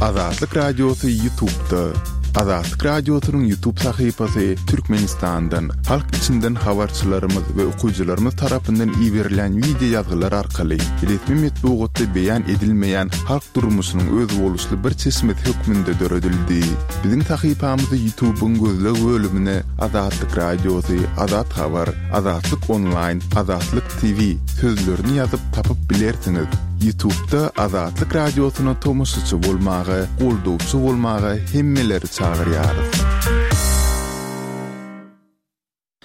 Azatlyk Radiosy Ýutubda. Azatlyk Radiosynyň Ýutub sahypasy Türkmenistandan, halk içinden habarçylarymyz we okyjylarymyz tarapyndan iberilýän wideo ýazgylar arkaly resmi metbugatda beýan edilmeýän halk durmuşynyň özboluşly bir çeşmesi hökmünde döredildi. Biziň sahypamyzy Ýutubyň gözleg bölümine Azatlyk Radiosy, Azat Habar, Azatlyk Onlaýn, Azatlyk TV sözlerini ýazyp tapyp bilersiňiz. Ýutubda Azatlyk Radiosyna tomaşaçy bolmaga, goldawçy bolmaga hemmeleri çagyrýarys.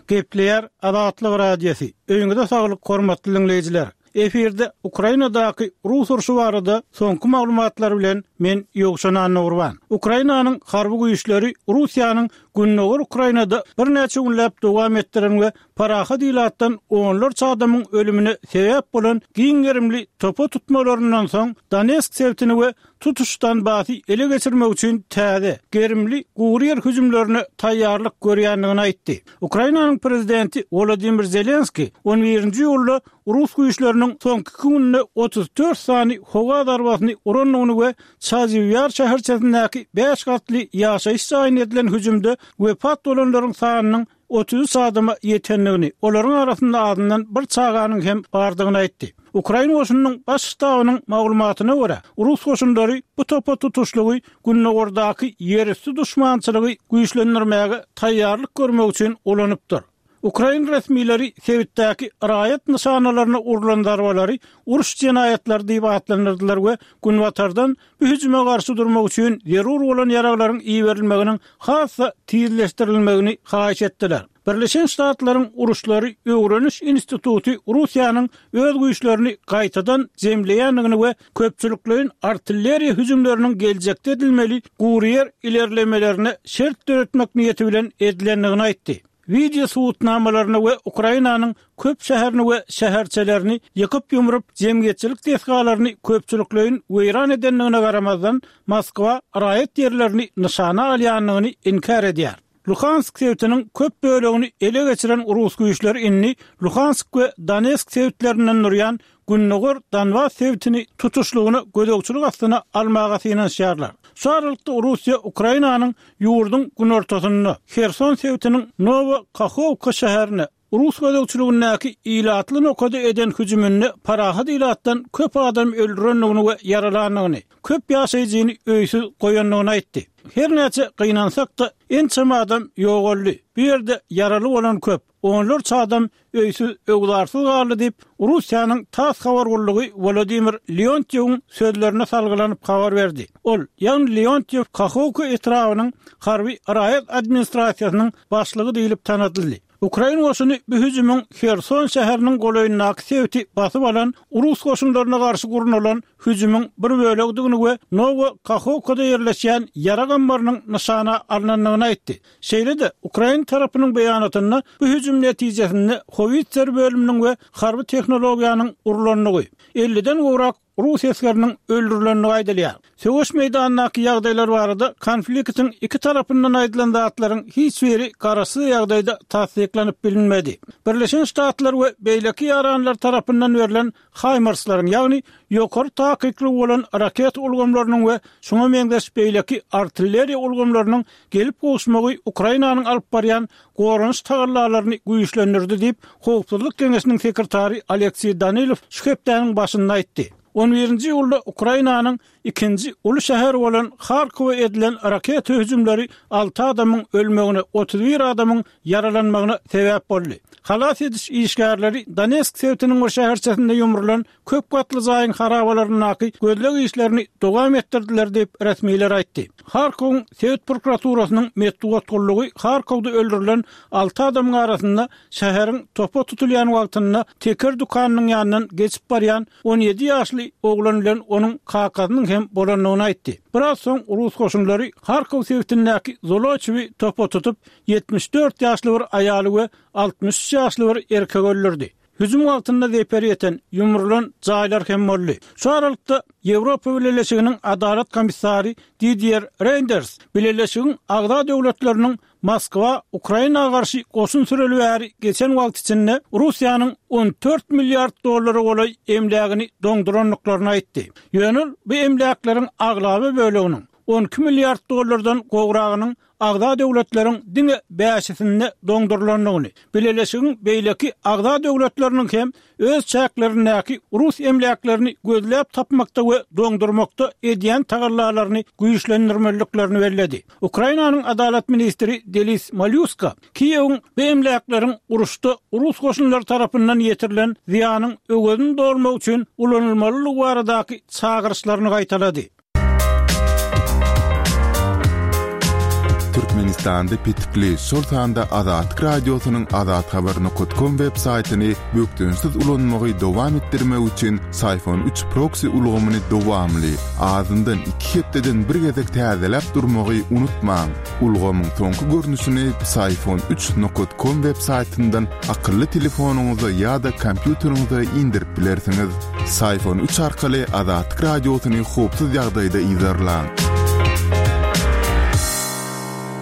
Gepleýär Azatlyk Radiosy. Öýüňize saglyk hormatly diňleýjiler. Efirde Ukrainadaky rus urşy barada soňky maglumatlar bilen men Ýowşan Annagurban. Ukrainanyň harby güýçleri Russiýanyň gündogar Ukrainada birnäçe günläp dowam etdiren we parahat ilatdan onlarça adamyň ölümine sebäp bolan giň gerimli topa tutmalaryndan soň Donetsk sebitini we tutuş Donbasy ele geçirmek üçin täze, gerimli gury ýer hüjümlerine taýýarlyk görýändigini aýtdy. Ukrainanyň prezidenti Wolodymyr Zelenskiý on birinji iýulda rus güýçleriniň soňky iki günde 34 sany howa zarbasyny urandygyny we Çaziw Ýar şäherçesindäki bäş gatly ýaşaýyş jaýyna edilen hüjümde wepat bolanlaryň sanynyň 33 adama ýetendigini, olaryň arasynda azyndan bir çaganyň hem bardygyny aýtdy. Ukrain goşunynyň Baş ştabynyň maglumatyna görä, rus goşunlary bu topa tutuşlygy gündogardaky ýerüsti duşmançylygy güýçlendirmäge taýýarlyk görmek üçin ulanypdyr. Ukrain resmileri sebitdäki raýat nyşanalaryna urlan zarbalary uruş jenaýatlary diýip atlandyrdylar we Günbatardan bu hüjüme garşy durmak üçin zerur bolan ýaraglaryň iberilmeginiň has-da tizleşdirilmegini haýyş etdiler. Birleşen Ştatlaryň Uruşlary öwreniş instituty Russiýanyň öz güýçlerini gaýtadan jemleýändigini we köpçülikleýin artilleriýa hüjümleriniň geljekde edilmeli guryýer ilerlemelerine şert döretmek niýeti bilen edilendigini aýtdy. Wideo subutnamalaryna we Ukrainanyň köp şäherini we şäherçelerini ýykyp-ýumrup, jemgyýetçilik desgalaryny köpçülikleýin weýran edendigine garamazdan, Moskwa raýat ýerlerini nyşana alýandygyny inkär edýär. Luhansk sebitiniň köp bölegini ele geçiren rus güýçleri indi Luhansk we Donetsk sebitlerinden durýan gündogar Donbas sebitini tutuşlygyna gözegçilik astyna almaga synanyşýarlar. Şu aralykda Russiýa Ukrainanyň ýurduň günortasynda, Herson sebitiniň Nowa Kahowka şäherine, rus gözegçiligindäki ilatly nokada eden hüjüminde parahat ilatdan köp adam öldürendigini we ýaralandygyny, köp ýaşaýjyny öýsüz goýandygyny aýtdy. Her näçe gynansak-da, ençeme adam ýogaldy. Bu ýerde ýaraly bolan köp, onlarça adam öýsüz-öwzarsyz galdy diýip, Russiýanyň tass habar gullugy Wolodymyr Leontýewiň sözlerine salgylanyp habar berdi. Ol, ýagny Leontýew Kahowka etrabynyň harby raýat administrasiýasynyň başlygy diýlip tanadyldy. Ukrain goşuny bu hüjümiň Herson şäheriniň golaýyndaky sebiti basyp alan rus goşunlaryna garşy gurnalan hüjümiň bir bölegidigini we Nowa Kahowkada ýerleşýän ýarag ammarynyň nyşana alnandygyny aýtdy. Şeýle-de, ukrain tarapynyň beýanatynda bu hüjüm netijesinde howitser bölüminiň we harby tehnologiýanyň urlandygy, elliden gowrak rus esgeriniň öldürilendigi aýdylýar. Söweş meýdanyndaky ýagdaýlar barada konfliktiň iki tarapyndan aýdylan zatlaryň hiç biri garaşsyz ýagdaýda tassyklanyp bilinmedi. Birleşen Ştatlar we beýleki ýaranlar tarapyndan berlen HIMARS-laryň, ýagny ýokary takyklygy bolan raketa ulgamlarynyň we şuňa meňzeş beýleki artilleriýa ulgamlarynyň gelip gowuşmagy Ukrainanyň alyp barýan goranyş tagallalaryny güýçlendirdi diýip, Howpsuzlyk geňeşiniň sekretary Alekseý Danilow şu hepdäniň başynda aýtdy. On birinji iýulda Ukrainanyň ikinji uly şäheri bolan Harkowa edilen raketa hüjümleri alty adamyň ölmegine, 31 adamyň ýaralanmagyna sebäp boldy. Halas ediş işgärleri Donetsk sebitiniň bir şäherçesinde ýumrulan köp gatly jaýyň harabalaryndaky gözleg işlerini dowam etdirdiler diýip, resmiler aýtdy. Harkowyň sebit prokuraturasynyň metbugat gullugy Harkowda öldürilen alty adamyň arasynda şäheriň topa tutulýan wagtynda teker dükanynyň ýanyndan geçip barýan 17 ýaşly oglan bilen onuň kakasynyň hem bolandygyny aýtdy. Biraz soň rus goşunlary Harkow sebitindäki Zoloçewi topa tutup, 74 ýaşly bir aýaly we 63 ýaşly bir erkegi öldürdi. Hüjüm wagtynda zeper ýeten, ýumrulan jaýlar hem boldy. Şu aralykda, Ýewropa Bileleşiginiň Adalat komissary Didier Reýnders Bileleşigiň agza döwletleriniň Moskwa Ukraina garşy goşun süreli bäri geçen wagt içinde Russiýanyň 14 milliard dollara golaý emlägini doňdurandyklaryny aýtdy. Ýöne ol bu emläkleriň aglaba böleginiň, 12 milliard dollardan gowragynyň agza döwletleriň diňe bäşisinde doňdurylandygyny, Bileleşigiň beýleki agza döwletleriniň hem öz çäklerindäki rus emläklerini gözläp tapmakda we doňdurmakda edýän tagallalaryny güýçlendirmeliliklerini belledi. Ukrainanyň Adalat ministri Delis Malýuska Kiýewiň bu emläkleriň uruşda rus goşunlary tarapyndan ýetirilen zyýanyň öwezini dolmak üçin ulanylmalydygy baradaky çagyryşlaryny gaýtalady. Türkmenistanda petikli, şol sanda Azatlyk Radiosynyň azathabar nokat kom web saýtyny bökdençsiz ulanmagy dowam etdirmek üçin Syfon üç proksi ulgamyny dowamly, azyndan iki hepdeden bir gezek täzeläp durmagy unutmaň. Ulgamyň soňky görnüşini Psiphon üç nokat kom web saýtyndan akylly telefonyňyza ýa-da kompýuteriňize indirip bilersiňiz. Psiphon üç arkaly Azatlyk Radiosyny howpsuz ýagdaýda yzarlaň.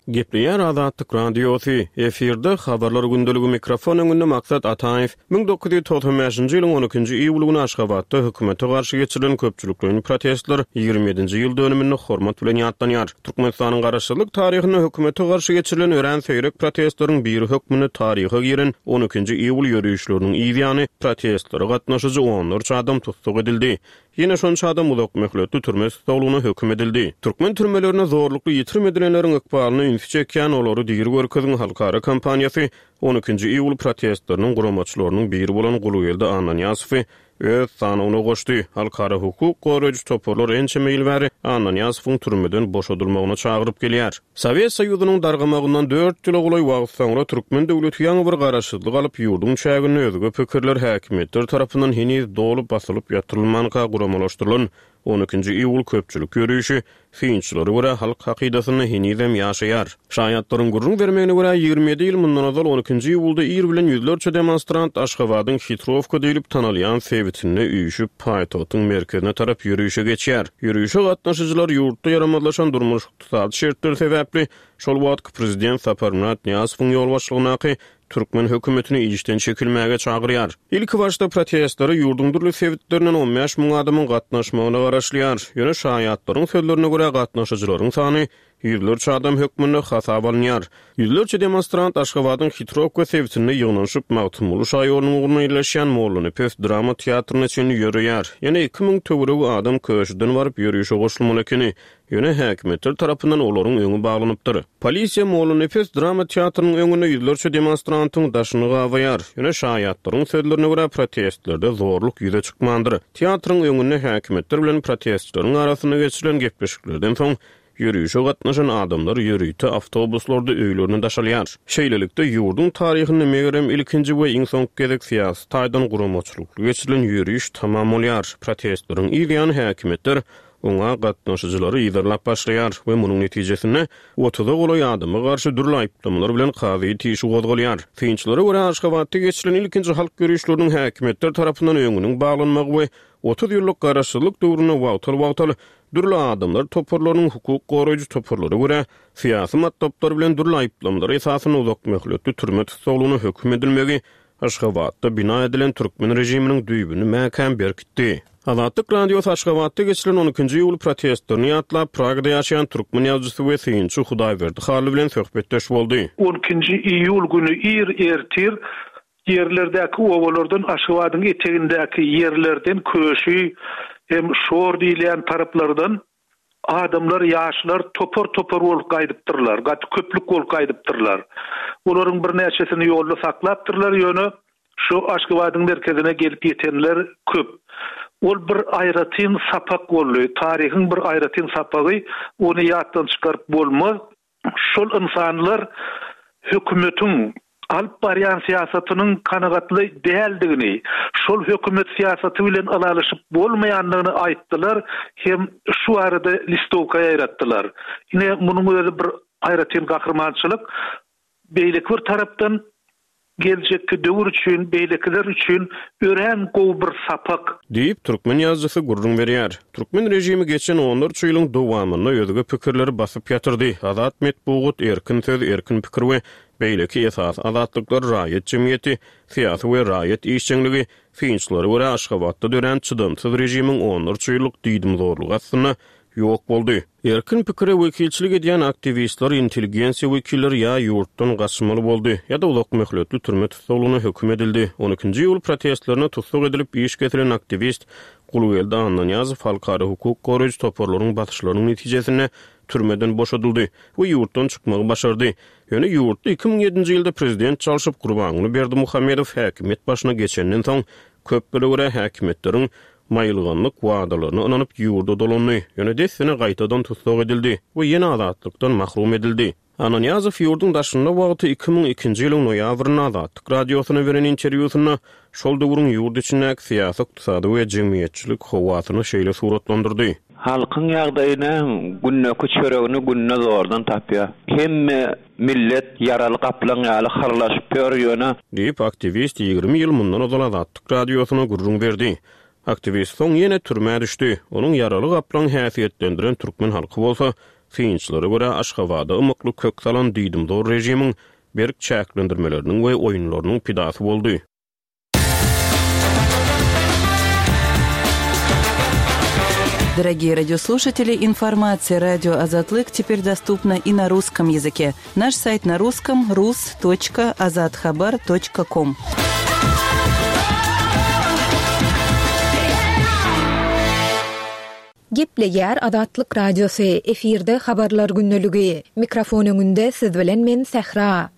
Gepleýär Azatlyk Radiosy, efirde Habarlar gündeligi mikrofon öňünde Maksat Ataýew. 1995-nji ýylyň on ikinji iýuly güni Aşgabatda hökümete garşy geçirilen köpçülikleýin protestler 27-nji ýyl dönüminde hormat bilen ýatlanýar. Türkmenistanyň garaşsyzlyk taryhynda hökümete garşy geçirilen örän seýrek protestleriň biri hökmünde taryha giren on ikinji iýul ýörişleriniň yz ýany protestlere gatnaşyjy onlarça adam tussag edildi. Ýene şonça adam uzak möhletli türme tussaglygyna höküm edildi. Türkmen türmelerinde zorlukly ýitirim edilenleriň ykbalyna ünsi çekýän Olary diri görkeziň halkara kampaniýasy On ikinji iýul protestleriniň guramaçylarynyň biri bolan Gulgeldi Annanyýazowy öz sanawyna goşdy. Halkara hukuk goraýjy toparlar ençeme ýyl bäri Annanyýazowyň türmeden boşadylmagyna çagyryp gelýär. Sowet Soýuzynyň dargamagyndan dört ýyla golaý wagt soňra türkmen döwleti ýaňy bir garaşsyzlyk alyp, ýurduň çäginde özge pikirler häkimiýetler tarapyndan heniz doly basylyp ýatyrylmanka guramalaşdyrylan On ikinji iýul köpçülik ýörişi, synçylara görä, halk hakydasynda henizem ýaşaýar. Şaýatlaryň gürrüň bermegine görä, 27 ýyl mundan ozal on ikinji iýulda ir bilen ýüzlerçe demonstrant Aşgabadyň Hitrowka diýlip tanalýan sebitinde üýşüp, paýtagtyň merkezine tarap ýörişe geçýär. Ýörişe gatnaşyjylar ýurtda ýaramazlaşan durmuş-ykdysady şertler sebäpli şol wagtky prezident Saparmyrat Nyýazowyň ýolbaşçylygyndaky türkmen hökümetini işden çekilmäge çagyrýar. Ilkibaşda protestlere ýurduň dürli sebitlerinden 15 müň adamyň gatnaşmagyna garaşylýar. Ýöne şaýatlaryň sözlerine görä, gatnaşyjylaryň sany ýüzlerçe adam hökmünde hasaba alynýar. Ýüzlerçe demonstrant Aşgabadyň Hitrowka sebitinde ýygnanyşyp, Magtymguly şaýolunyň ugrunda ýerleşýän Mollanepes drama teatryna çenli ýöreýär. Ýene 2000 töweregi adam Köşüden baryp ýörişe goşulmaly ekeni. Ýöne häkimiýetler tarapyndan olaryň öňi baglanypdyr. Polisiýa Mollanepes drama teatrynyň öňünde ýüzlerçe demonstrantyň daşyny gabaýar. Ýöne şaýatlaryň sözlerine görä, protestlerde zorluk ýüze çykmandyr. Teatryň öňünde häkimiýetler bilen protestçileriň arasynda geçirilen gepleşiklerden soň, ýörişe gatnaşan adamlar ýörite awtobuslarda öýlerine daşalýar. Şeýlelikde, ýurduň taryhynda megerem ilkinji we iň soňky gezek syýasy taýdan guramaçylykly geçirilen ýöriş tamam bolýar. Protestleriň yz ýany häkimiýetler oňa gatnaşyjylary yzarlap başlaýar we munuň netijesinde otuza golaý adama garşy dürli aýyplamalar bilen kazyýet işi gozgalýar. Synçylara görä, Aşgabatda geçirilen ilkinji halk ýörişleriniň häkimiýetler tarapyndan öňüniň baglanmagy we 30 ýyllyk garaşsyzlyk döwründe wagtal-wagtal dürli adamlar toparlarynyň hukuk goraýjy toparlara görä syýasy matlaplar bilen dürli aýyplamalar esasynda uzakmöhletli türme tussaglygyna höküm edilmegi Aşgabatda bina edilen türkmen režiminiň düýbüni mäkäm berkitdi. Azatlyk Radiosy Aşgabatda geçirilen on ikinji iýul protestlerini ýatlap, Pragada ýaşaýan türkmen ýazyjysy we synçy Hudaýberdi Hally bilen söhbetdeş boldy. On ikinji iýul güni ir ertir ýerlerdäki obalardan Aşgabadyň etegindäki ýerlerden Köşi hem Şor diýilýän taraplardan Adamlar, ýaşlar topar-topar bolup gaýdypdyrlar, gaty köplük bolup gaýdypdyrlar. Olaryň birnäçesini ýolda saklapdyrlar, ýöne şu Aşgabadyň merkezine gelip ýetenler köp. Ol bir aýratyn sapak boldy, taryhyň bir aýratyn sapagy, ony ýatdan çykaryp bolmaz. Şol ynsanlar hökümetiň alyp barýan syýasatynyň kanagatly däldigini, şol hökümet syýasaty bilen ylalaşyp bolmaýandygyny aýtdylar hem şu barada listowka ýaýratdylar. Ine, munuň özi bir aýratyn gahrymançylyk. Beýleki bir tarapdan. Geljekki döwür üçin, beýlekiler üçin örän gowy bir sapak. Diýip, türkmen ýazyjysy gürrüň berýär. Türkmen režimi geçen onlarça ýylyň dowamynda özge pikirleri basyp ýatyrdy. Azat metbugat, erkin söz, erkin pikir we beýleki esasy azatlyklar raýat jemgyýeti, syýasy we raýat işjeňligi, synçylara görä, Aşgabatda dörän çydamsyz režimiň onlarça ýyllyk diýdimzorlugy astynda ýok boldy. Erkin pikire wekilçilik edýän aktiwistler, intelligensiýa wekilleri ýa ýurtdan gaçmaly boldy, ýa-da uzak möhletli türme tussaglygyna höküm edildi. On ikinji iýul protestlerinde tussag edilip, iş kesilen aktiwist Gulgeldi Annanyýazow halkara hukuk goraýjy toparlaryň basyşlarynyň netijesinde türmeden boşadyldy we ýurtdan çykmagy başardy. Ýöne ýurtda 2007-nji ýylda prezident çalşyp, Gurbanguly Berdimuhamedow häkimiýet başyna geçenden soň, köplere görä häkimiýetleriň maýylganlyk wadalaryna ynanyp ýurda dolandy, ýöne dessine gaýtadan tussag edildi we ýene azatlykdan mahrum edildi. Annanyýazow ýurduň daşynda wagty 2002-nji ýylyň noýabrynda Azatlyk Radiosyna beren interwýusynda şol döwrüň ýurt içindäki syýasy-ykdysady we jemgyýetçilik howasyny şeýle suratlandyrdy. Halkyň ýagdaýy näme, gündeki çöregini günde zordan tapýar. Hemme millet ýaraly gaplaň ýaly hyrlaşyp ýör, ýöne. Diýip, aktiwist 20 ýyl mundan ozal Azatlyk Radiosyna gürrüň berdi. Aktiwist soň ýene türmä düşdi. Onuň ýaraly gaplaň häsiýetlendiren türkmen halky bolsa, synçylara görä, Aşgabada ymykly kök salan diýdimzor režimiň berk çäklendirmeleriniň we oýunlarynyň pidasy boldy. Дорогие радиослушатели, информация радио Азатлык теперь доступна и на русском языке. Наш сайт на русском rus.azathabar.com. Gepleýär Azatlyk Radiosy, efirde Habarlar gündeligi. Mikrofon öňünde siz bilen men Sähra.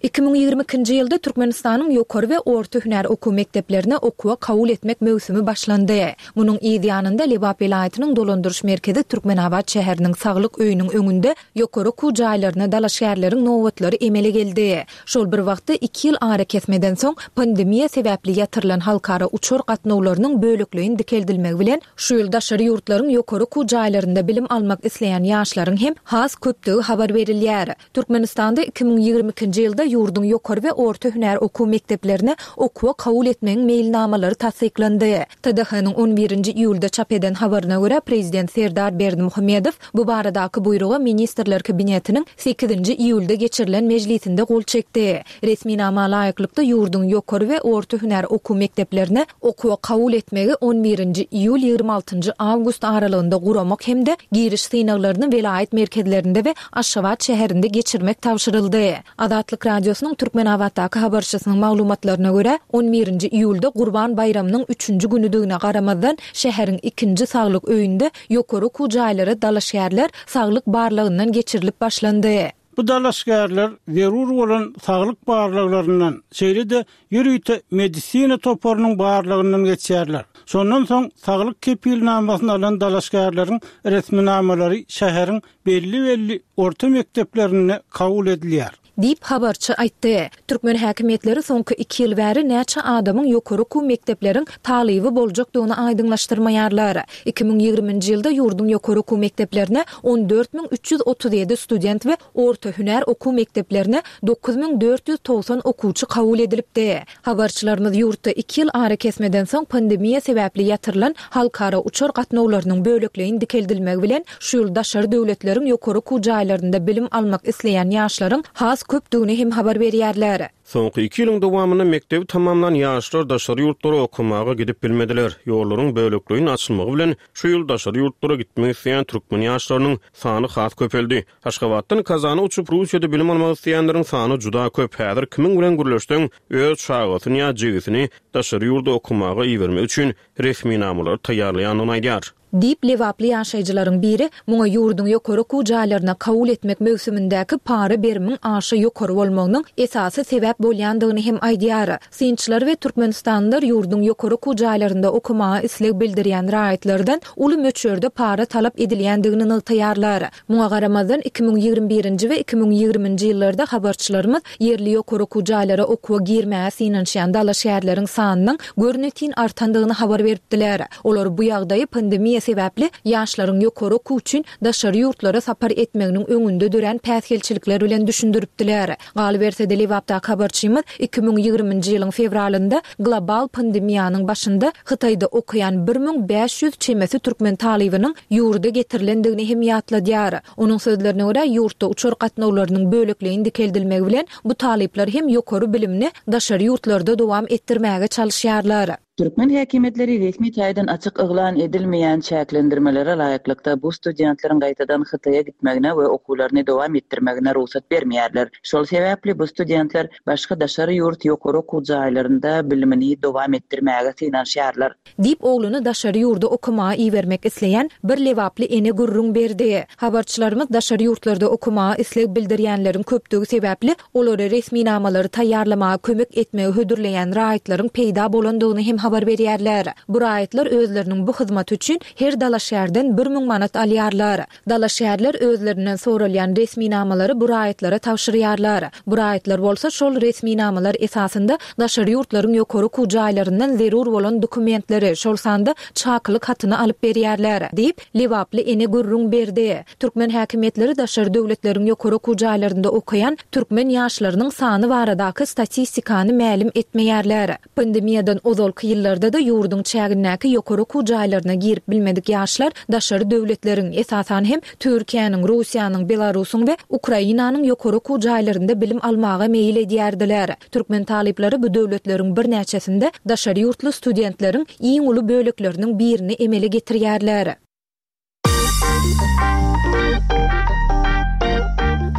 2022-nji ýylda Türkmenistanyň ýokary we orta hünär okuw mekdeplerine okuwa kabul etmek möwsümi başlandy. Munuň yz ýanynda Lebap welaýatynyň dolandyryş merkezi Türkmenabat şäheriniň Saglyk öýüniň öňünde ýokary okuw jaýlaryna dalaşgärleriň nobatlary emele geldi. Şol bir wagtda, iki ýyl arakesmeden soň, pandemiýa sebäpli ýatyrylan halkara uçar gatnawlarynyň bölekleýin dikeldilmegi bilen, şu ýyl daşary ýurtlaryň ýokary okuw jaýlarynda bilim almak isleýän ýaşlaryň hem has köpdügi habar berilýär. Türkmenistanda 2022-nji ýylda ýurduň ýokary we orta hünär okuw mekdeplerine okuwa kabul etmegiň meýilnamalary tassyklandy. TDH-nyň on birinji iýulda çap eden habaryna görä, prezident Serdar Berdimuhamedow bu baradaky buýruga Ministrler Kabinetiniň sekizinji iýulda geçirilen mejlisinde gol çekdi. Resminama laýyklykda, ýurduň ýokary we orta hünär okuw mekdeplerine okuwa kabul etmegi on birinji iýul, 26 njy awgust aralygynda guramak hem-de giriş synaglaryny welaýat merkezlerinde we Aşgabat şäherinde geçirmek tabşyryldy. Azatlyk Radiosynyň Türkmenabatdaky habarçysynyň maglumatlaryna görä, on birinji iýulda Gurban baýramynyň üçünji günüdigine garamazdan, şäheriň ikinji saglyk öýünde ýokary okuw jaýlara dalaşgärler saglyk barlagyndan geçirilip başlandy. Bu dalaşgärler zerur bolan saglyk barlaglaryndan, şeýle-de ýörite medisina toparynyň barlagyndan geçýärler. Şondan soň saglyk kepilnamasyny alan dalaşgärleriň resminamalary şäheriň belli-belli orta mekdeplerinde kabul edilýär. Diýip, habarçy aýtdy. Türkmen häkimiýetleri soňky iki ýyl bäri näçe adamyň ýokary okuw mekdepleriň talyby boljakdygyny aýdyňlaşdyrmaýarlar. 2020-nji ýylda ýurduň ýokary okuw mekdeplerine 14 337 student we orta hünär okuw mekdeplerine 9490 okuwçy kabul edilipdi. Habarçylarymyz ýurtda iki ýyl arakesmeden soň pandemiýa sebäpli ýatyrylan halkara uçar gatnawlarynyň bölekleýin dikeldilmegi bilen, şu ýyl daşary döwletleriň ýokary okuw jaýlarynda bilim almak isleýän ýaşlaryň has köpdügini hem habar berýärler. Soňky iki ýylyň dowamynda mekdebi tamamlan ýaşlar daşary ýurtlara okamaga gidip bilmediler. Ýollaryň bölekleýin açylmagy bilen, şu ýyl daşary ýurtlara gitmek isleýän türkmen ýaşlarynyň sany has köpeldi. Aşgabatdan Kazana uçup, Russiýada bilim almak isleýänleriň sany juda köp. Häzir kimiň bilen gürleşseň, öz çagasyny ýa jigisini daşary ýurda okamaga ibermek üçin resminamalary taýýarlaýandygyny aýdýar. Diýip, lebaply ýaşaýjylaryň biri muňa ýurduň ýokary okuw jaýlaryna kabul etmek möwsümindäki para berimiň aşa ýokary bolmagynyň esasy sebäp bolýandygyny hem aýdýar. Synçylar we türkmenistanlylar ýurduň ýokary okuw jaýlarynda okamaga isleg bildirýän raýatlardan uly möçberde para talap edilýändigini nygtaýarlar. Muňa garamazdan, 2021-nji we 2020-nji ýyllarda habarçylarymyz ýerli ýokary okuw jaýlara okuwa girmäge synanyşýan dalaşgärleriň sanynyň görnetin artandygyny habar beripdiler. Olar bu ýagdaýy pandemiýa sebäpli ýaşlaryň ýokary okuw üçin daşary ýurtlara sapar etmeginiň öňünde dörän päsgelçilikler bilen düşündiripdiler. Galyberse-de, Lebapdaky habarçylarymyz. Habarçymyz 2020-nji ýylyň fewralynda global pandemiýanyň başynda Hytaýda okaýan 1500 çemesi türkmen talybynyň ýurda getirilendigini hem ýatladýar. Onuň sözlerine görä, ýurtda uçar gatnawlarynyň bölekleýin dikeldilmegi bilen, bu talyplar hem ýokary bilimini daşary ýurtlarda dowam etdirmäge çalyşýarlar. Türkmen häkimiýetleri resmi taýdan açyk yglan edilmeýän çäklendirmelere laýyklykda bu studentleriň gaýtadan Hytaýa gitmegine we okuwlaryny dowam etdirmegine rugsat bermeýärler. Şol sebäpli bu studentler başga daşary ýurt ýokary okuw jaýlarynda bilimini dowam etdirmäge synanyşýarlar. Diýip, ogluny daşary ýurda okamaga ibermek isleýän bir lebaply ene gürrüň berdi. Habarçylarymyz daşary ýurtlarda okamaga isleg bildirýänleriň köpdügi sebäpli, olara resminamalary taýýarlamaga kömek etmegi hödürleýän raýatlaryň peýda bolandygyny hem habar berýärler. Bu raýatlar özleriniň bu hyzmaty üçin her dalaşgärden 1000 manat alýarlar. Dalaşgärler özlerinden soralýan resminamalary bu raýatlara tabşyrýarlar. Bu raýatlar bolsa şol resminamalar esasynda daşary ýurtlaryň ýokary okuw jaýlaryndan zerur bolan dokumentleri, şol sanda çakylyk hatyny alyp berýärler, diýip, lebaply ene gürrüň berdi. Türkmen häkimiýetleri daşary döwletleriň ýokary okuw jaýlarynda okaýan türkmen ýaşlarynyň sany baradaky statistikany mälim etmeýärler. Pandemiýadan ozalky ýyllarda-da ýurduň çägindäki ýokary okuw jaýlaryna girip bilmedik ýaşlar daşary döwletleriň, esasan hem, Türkiýäniň, Russiýanyň, Belarusyň we Ukrainanyň ýokary okuw jaýlarynda bilim almaga meýil edýärdiler. Türkmen talyplary bu döwletleriň birnäçesinde daşary ýurtly studentleriň iň uly bölekleriniň birini emele getirýärler.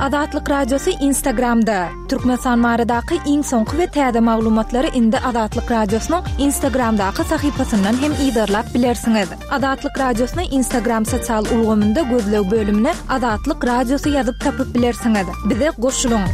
Azatlyk Radiosy Instagramda, Türkmenistan baradaky iň soňky we täze maglumatlary indi Azatlyk Radiosynyň Instagramdaky sahypasyndan hem yzarlap bilersiňiz. Azatlyk Radiosyny Instagram sosial ulgamynda gözleg bölümine Azatlyk Radiosy ýazyp tapyp bilersiňiz. Bize goşulyň!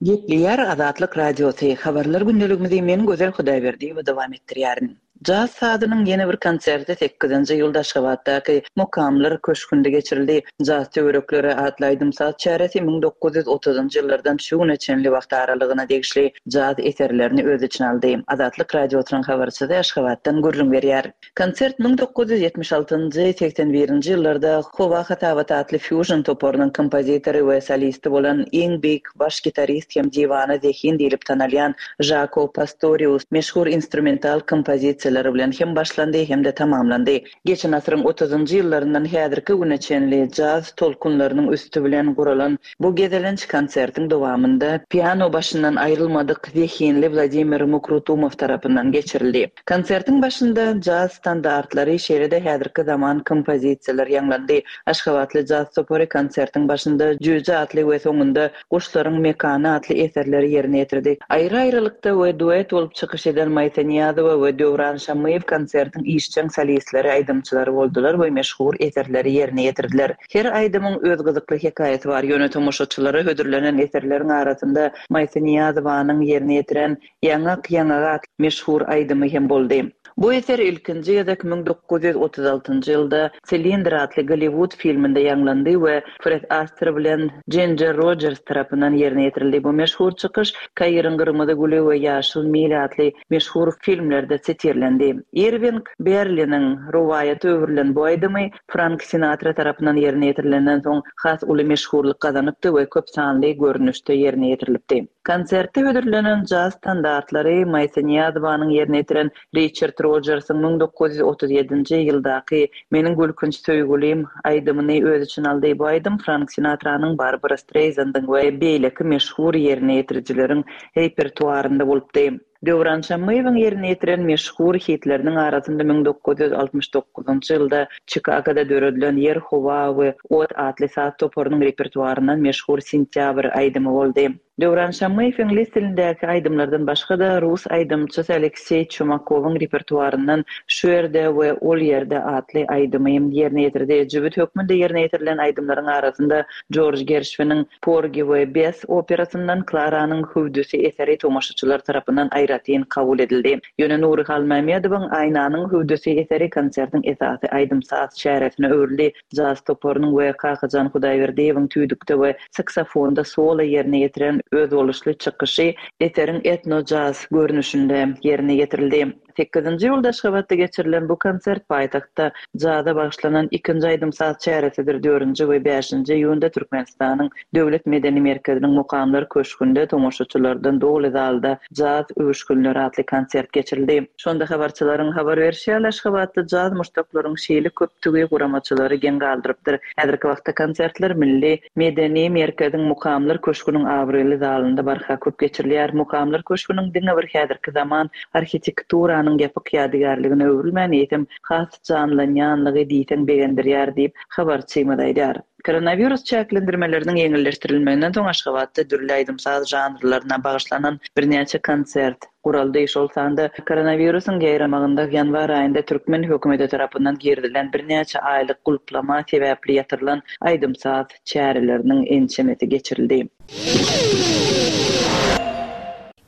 Gepleýär Azatlyk Radiosy, Habarlar gündeligimizi men Gözel Hudaýberdiýewa dowam etdirýärin. Jaz sazynyň ýene bir konserti sekizinji iýulda Aşgabatdaky Mukamlar köşgünde geçirildi. Jaz töwerekleri atly aýdym-saz çäresi 1930-njy ýyllardan şu güne çenli wagt aralygyna degişli jaz eserlerini öz içine aldy. Azatlyk Radiosynyň habarçysy Aşgabatdan gürrüň berýär. Konsert 1976-njy, 81-nji ýyllarda Howa hasabaty atly fýužn toparynyň kompozitory we solisti bolan iň beýik baş gitarist hem diwana zehin diýlip tanalýan Žako Pastorius meşhur instrumental kompozisiýalary bilen hem başlandy hem-de tamamlandy. Geçen asyryň otuzynjy ýyllaryndan häzirki güne çenli jaz tolkunlarynyň üsti bilen guralan bu gezelenç konsertiň dowamynda piano başyndan aýrylmadyk zehinli Wladimir Mukrutumow tarapyndan geçirildi. Konsertiň başynda jaz standartlary, şeýle-de häzirki zaman kompozisiýalar ýaňlandy. Aşgabatly jaz topary konsertiň başynda Jüýje atly we soňunda Guşlaryň mekany atly eserleri ýerine ýetirdi. Aýry-aýrylykda we duet bolup çykyş eden Maýsa Nyýazowa we Döwran Şammyýew konsertiň işjeň solistleri, aýdymçylary boldular we meşhur eserleri ýerine ýetirdiler. Her aýdymyň öz gyzykly hekaýasy bar, ýöne tomaşaçylara hödürlenen eserleriň arasynda Maýsa Nyýazowanyň ýerine ýetiren Ýaňak ýaňaga atly meşhur aýdymy hem boldy. Bu eser ilkinji gezek 1936-njy ýylda Silindr atly Golliwud filminde ýaňlandy we Fred Aster bilen Jinjer Rojers tarapyndan ýerine ýetirildi. Bu meşhur çykyş Kairiň gyrmyzy güli we Ýaşyl mil atly meşhur filmlerde sitirlendi. Irwing Berliniň rowaýata öwrülen bu aýdymy Frank Sinatra tarapyndan ýerine ýetirilenden soň has uly meşhurlyk gazanypdy we köp sanly görnüşde ýerine ýetirilipdi. Konsertde hödürlenen jaz standartlary Maýsa Nyýazowanyň ýerine ýetiren Riçard Rojersiň 1937-nji ýyldaky Meniň gülkünç söýgülim aýdymyny öz içine aldy. Bu aýdym Frank Sinatranyň, Barbara Streýzandyň we beýleki meşhur ýerine ýetirijileriň repertuarynda bolupdy. Döwran Şammyýewiň ýerine ýetiren meşhur hitleriniň arasynda 1969-njy ýylda Çikagoda döredilen Ýer, howa we ot atly saz toparynyň repertuaryndan meşhur Sentýabr aýdymy boldy. Döwran Şammyýew iňlis dilindäki aýdymlardan başga-da, rus aýdymçysy Alekseý Çumakowyň repertuaryndan Şu ýerde we ol ýerde atly aýdymy ýerine ýetirdi. Jübüt hökmünde ýerine ýetirilen aýdymlaryň arasynda Jorj Gerşwiniň Porgi we Bess operasyndan Klaranyň hüwdüsi eseri tomaşaçylar tarapyndan aýratyn kabul edildi. Ýöne Nury Halmämmedowyň Aýnanyň hüwdüsi eseri konsertiň esasy aýdym-saz çäresine öwrüldi. Jaz toparynyň we Kakajan Hudaýberdiýewiň tüýdükde we saksofonda solo ýerine ýetiren özboluşly çykyşy eseriň etno-jaz görnüşinde ýerine ýetirildi. Sekizinji iýulda Aşgabatda geçirilen bu konsert paýtagtda jaza bagyşlanan ikinji aýdym-saz çäresidir. Dördünji we bäşinji iýunda Türkmenistanyň Döwlet medeni merkeziniň Mukamlar köşgünde tomaşaçylardan doly zalda Jaz öwüşginleri atly konsert geçirildi. Şonda habarçylaryň habar berşi ýaly, Aşgabatda jaz muşdaklaryň şeýle köpdügi guramaçylary geň galdyrypdyr. Häzirki wagtda konsertler Milli medeni merkeziň Mukamlar köşgüniň abraýly zalynda barha köp geçirilýär. Mukamlar köşgüniň diňe bir häzirki zaman arhitekturanyň ýapyk ýadygärligine öwrülmän, eýsem, has janlanýanlygy diýseň begendirýär diýip, habarçymyz aýdýar. Koronawirus çäklendirmeleriniň ýeňilleşdirilmeginden soň Aşgabatda dürli aýdym-saz žanrlaryna bagyşlanan birnäçe konsert guraldy. Şol sanda koronawirusyň ýaýramagynda ýanwar aýynda türkmen hökümeti tarapyndan girizilen birnäçe aýlyk gulplama sebäpli ýatyrylan aýdym-saz çäreleriniň ençemesi geçirildi.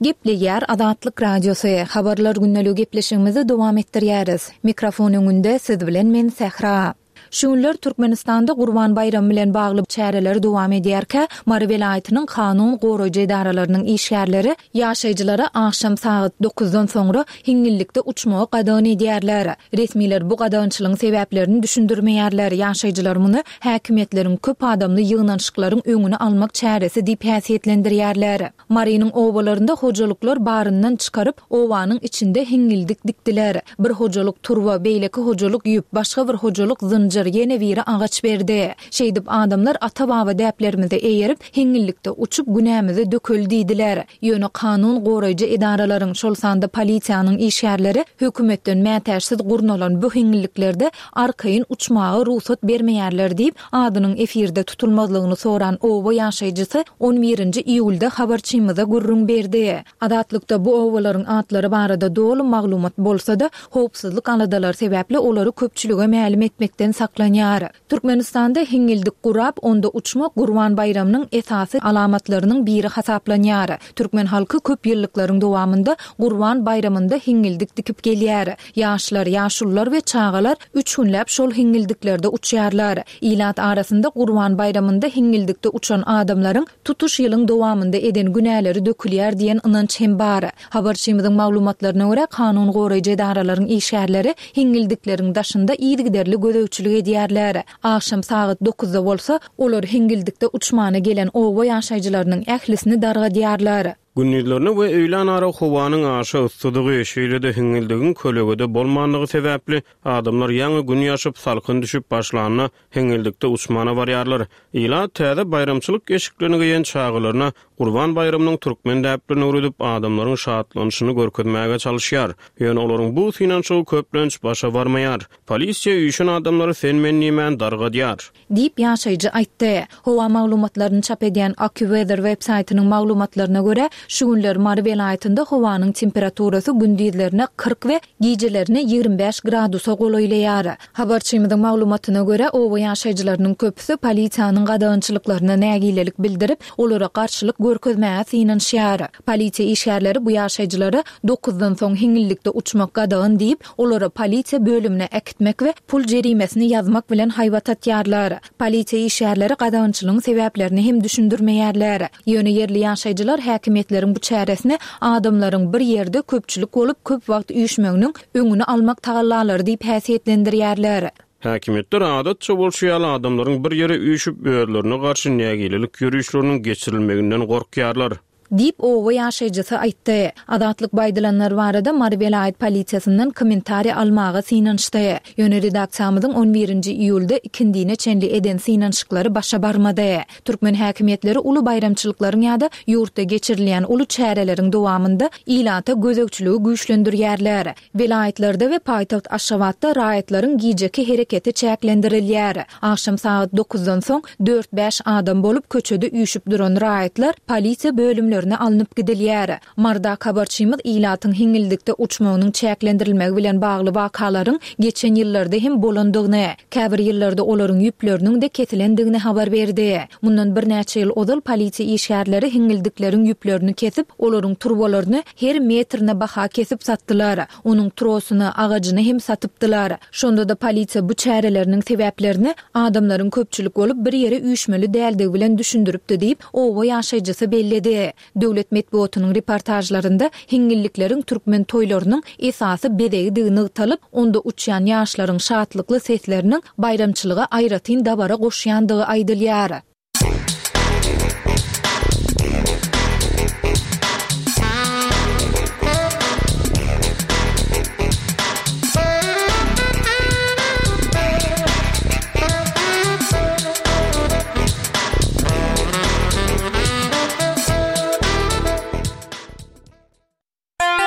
Gepleýär Azatlyk Radiosy, Habarlar gündeligi gepleşigimizi dowam etdirýäris. Mikrofon öňünde siz bilen men Sähra. Şu günler Türkmenistanda Gurban baýramy bilen bagly çäreler dowam edýärkä, Mary welaýatynyň kanun goraýjy edaralarynyň işgärleri ýaşaýjylara agşam sagat dokuzdan soňra hiňňillikde uçmagy gadagan edýärler. Resmiler bu gadagançylygyň sebäplerini düşündirmeýärler, ýaşaýjylar muny häkimiýetleriň köp adamly ýygnanyşyklaryň öňüni almak çäresi diýip häsiýetlendirýärler. Marynyň obalarynda hojalyklar baryndan çykaryp, obanyň içinde hiňňildik dikdiler. Bir hojalyk turba, beýleki hojalyk ýüp, başga bir hojalyk zynjyr, ýene biri agaç berdi. Şeýdip, adamlar ata-baba däplerimize eýerip, hiňňillikde uçup, günämizi dökeli diýdiler. Ýöne kanun goraýjy edaralaryň, şol sanda polisiýanyň işgärleri hökümetden mätäçsiz gurnalan bu hiňňilliklerde arkaýyn uçmaga rugsat bermeýärler diýip, Adynyň efirde tutulmazlygyny soran oba ýaşaýjysy on birinji iýulda habarçymyza gürrüň berdi. Azatlykda bu obalaryň atlary barada doly maglumat bolsa-da, howpsuzlyk aladalary sebäpli olary köpçülige mälim etmekden saklanýar. Türkmenistanda hiňňildik gurap, onda uçmak Gurban baýramynyň esasy alamatlarynyň biri hasaplanýar. Türkmen halky köp ýyllyklaryň dowamynda Gurban baýramynda hiňňildik dikip gelýär. Ýaşlar, ýaşulular we çagalar üç günläp şol hiňňildiklerde uçýarlar. Ilat arasynda Gurban baýramynda hiňňildikde uçan adamlaryň tutuş ýylyň dowamynda eden günäleri dökülýär diýen ynanç hem bar. Habarçymyzyň maglumatlaryna görä, kanun goraýjy edaralaryň işgärleri hiňňildikleriň daşynda yzygiderli gözegçilik edýärler. Agşam sagat dokuzda bolsa, olar hiňňildikde uçmana gelen oba ýaşaýjylarynyň ählisini dargadýarlar. Gündizlerine we öýlänara howanyň aşa yssydygy, şeýle-de hiňňildigiň kölegede bolmandygy sebäpli, adamlar ýaňy Gün ýaşyp, salkyn düşüp başlanda, hiňňildikde uçmana barýarlar. Ilat täze baýramçylyk eşiklerini geýen çagalaryna Gurban baýramynyň türkmen däplerini öwredip, adamlaryň şatlanyşyny görkezmäge çalyşýar. Ýöne olaryň bu synanyşygy köplenç başa barmaýar. Polisiýa üýşen adamlary sen-men diýmän dargadýar. Diýip, ýaşaýjy aýtdy. Howa maglumatlaryny çap edýän AccuWeather web-saýtynyň maglumatlaryna görä, şu günler Mary welaýatynda howanyň temperaturasy gündizlerine 40 we gijelerine 25 gradusa golaýlaýar. Habarçymyzyň maglumatyna görä, oba ýaşaýjylarynyň köpüsi polisiýanyň gadagançylyklaryna nägilelik bildirip, olara garşylyk görkezmäge synanyşýar. Polisiýa işgärleri bu ýaşaýjylara dokuzdan soň hiňňillikde uçmak gadagan diýip, olary polisiýa bölümine äkitmek we pul jerimesini ýazmak bilen haýbat atýarlar. Polisiýa işgärleri gadagançylygyň sebäplerini hem düşündirmeýärler. Ýöne ýerli ýaşaýjylar häkimiýetleriň bu çäresini adamlaryň bir ýerde köpçülik bolup köp wagt üýşmeginiň öňüni almak tagallalary diýip häsiýetlendirýärler. Häkimiýetler adatça bolşy ýaly adamlaryň bir ýere üýşüp özlerine garşy nägilelik ýörişleriniň geçirilmeginden gorkýarlar. Diýip, oba ýaşaýjysy aýtdy. Azatlyk bu aýdylanlar barada Mary welaýat polisiýasyndan kommentariý almaga synanyşdy. Ýöne redaksiýamyzyň on birinji iýulda ikindine çenli eden synanyşyklary başa barmady. Türkmen häkimiýetleri uly baýramçylyklaryň ýa-da ýurtda geçirilýän uly çäreleriň dowamynda ilata gözegçiligi güýçlendirýärler. Welaýatlarda we paýtagt Aşgabatda raýatlaryň gijeki hereketi çäklendirilýär. Agşam sagat dokuzdan soň dört-bäş adam bolup köçede üýşüp duran raýatlar polisiýa bölümlerine alnyp gidilýär. Marydaky habarçymyz ilatyň hiňňildikde uçmagynyň çäklendirilmegi bilen bagly wakalaryň geçen ýyllarda hem bolandygyny, käbir ýyllarda olaryň ýüpleriniň-de kesilendigini habar berdi. Mundan birnäçe ýyl ozal polisiýa işgärleri hiňňildikleriň ýüplerini kesip, olaryň turbalaryny her metrine baha kesip satdylar. Onuň trosuny, agajyny hem satypdylar. Şonda-da polisiýa bu çäreleriniň sebäplerini adamlaryň köpçülik bolup bir ýere üýşmeli däldigi bilen düşündiripdi diýip, oba ýaşaýjysy belledi. Döwlet metbugatynyň reportažlarynda hiňňillikleriň türkmen toýlarynyň esasy bezegidigi nygtalyp, onda uçýan ýaşlaryň şatlykly sesleriniň baýramçylyga aýratyn dabara goşýandygy aýdylýar.